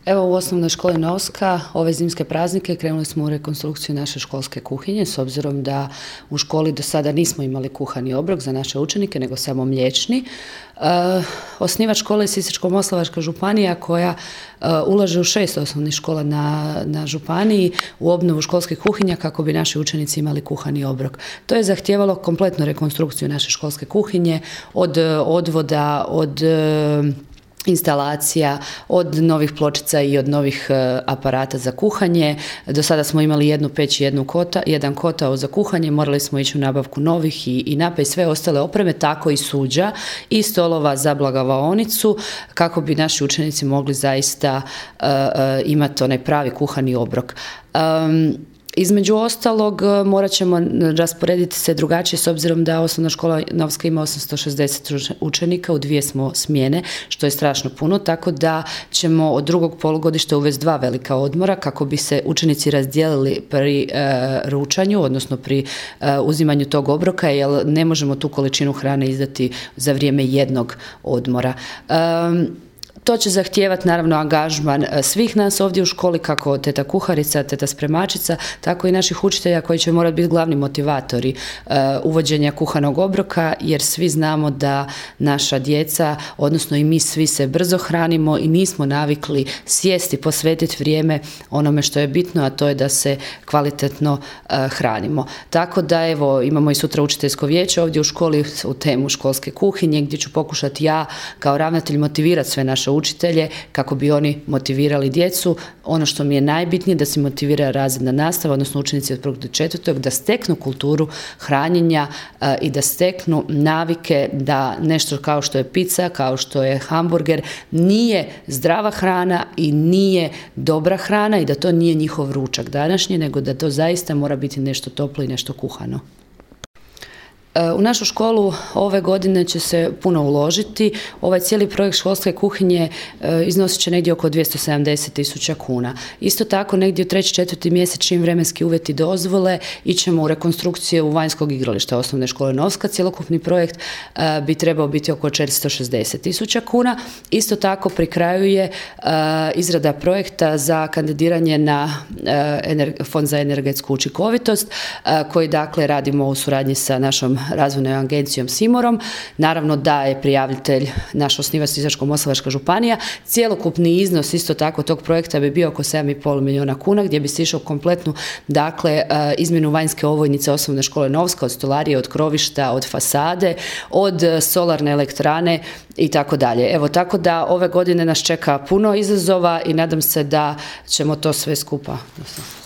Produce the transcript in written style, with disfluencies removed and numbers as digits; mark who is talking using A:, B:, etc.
A: Evo, u osnovnoj školi Novska ove zimske praznike krenuli smo u rekonstrukciju naše školske kuhinje, s obzirom da u školi do sada nismo imali kuhani obrok za naše učenike, nego samo mliječni. Osnivač škole je Sisačko-moslavačka županija koja ulaže u 6 osnovnih škola na županiji u obnovu školskih kuhinja kako bi naši učenici imali kuhani obrok. To je zahtijevalo kompletnu rekonstrukciju naše školske kuhinje, od odvoda, od instalacija, od novih pločica i od novih aparata za kuhanje. Do sada smo imali jednu peć i jedan kotao za kuhanje, morali smo ići u nabavku novih i napej sve ostale opreme, tako i suđa i stolova za blagavaonicu, kako bi naši učenici mogli zaista imati onaj pravi kuhani obrok. Između ostalog, morat ćemo rasporediti se drugačije s obzirom da osnovna škola Novska ima 860 učenika, u 2 smo smjene, što je strašno puno, tako da ćemo od drugog polugodišta uvesti 2 velika odmora kako bi se učenici razdijelili pri ručanju, odnosno pri uzimanju tog obroka, jer ne možemo tu količinu hrane izdati za vrijeme jednog odmora. To će zahtijevati naravno angažman svih nas ovdje u školi, kako teta kuharica, teta spremačica, tako i naših učitelja koji će morati biti glavni motivatori uvođenja kuhanog obroka, jer svi znamo da naša djeca, odnosno i mi svi se brzo hranimo i nismo navikli sjesti, posvetiti vrijeme onome što je bitno, a to je da se kvalitetno hranimo. Tako da evo, imamo i sutra učiteljsko vijeće ovdje u školi u temu školske kuhinje, gdje ću pokušati ja kao ravnatelj motivirati sve naše učitelje kako bi oni motivirali djecu. Ono što mi je najbitnije, da se motivira razredna nastava, odnosno učenici od 1. do 4. da steknu kulturu hranjenja i da steknu navike da nešto kao što je pizza, kao što je hamburger, nije zdrava hrana i nije dobra hrana i da to nije njihov ručak današnji, nego da to zaista mora biti nešto toplo i nešto kuhano. U našu školu ove godine će se puno uložiti. Ovaj cijeli projekt školske kuhinje iznosit će negdje oko 270.000 kuna. Isto tako, negdje u 3. 4. mjesec, čim vremenski uvjeti dozvole, ićemo u rekonstrukciju vanjskog igrališta osnovne škole Novska. Cjelokupni projekt bi trebao biti oko 460.000 kuna. Isto tako, pri kraju je izrada projekta za kandidiranje na Fond za energetsku učinkovitost, koji dakle radimo u suradnji sa našom razvojnom agencijom Simorom. Naravno da je prijavitelj naš osnivač Sisačko-moslavačka županija. Cjelokupni iznos isto tako tog projekta bi bio oko 7,5 milijuna kuna, gdje bi se išao kompletnu izmjenu vanjske ovojnice osnovne škole Novska, od stolarije, od krovišta, od fasade, od solarne elektrane i tako dalje. Evo, tako da ove godine nas čeka puno izazova i nadam se da ćemo to sve skupa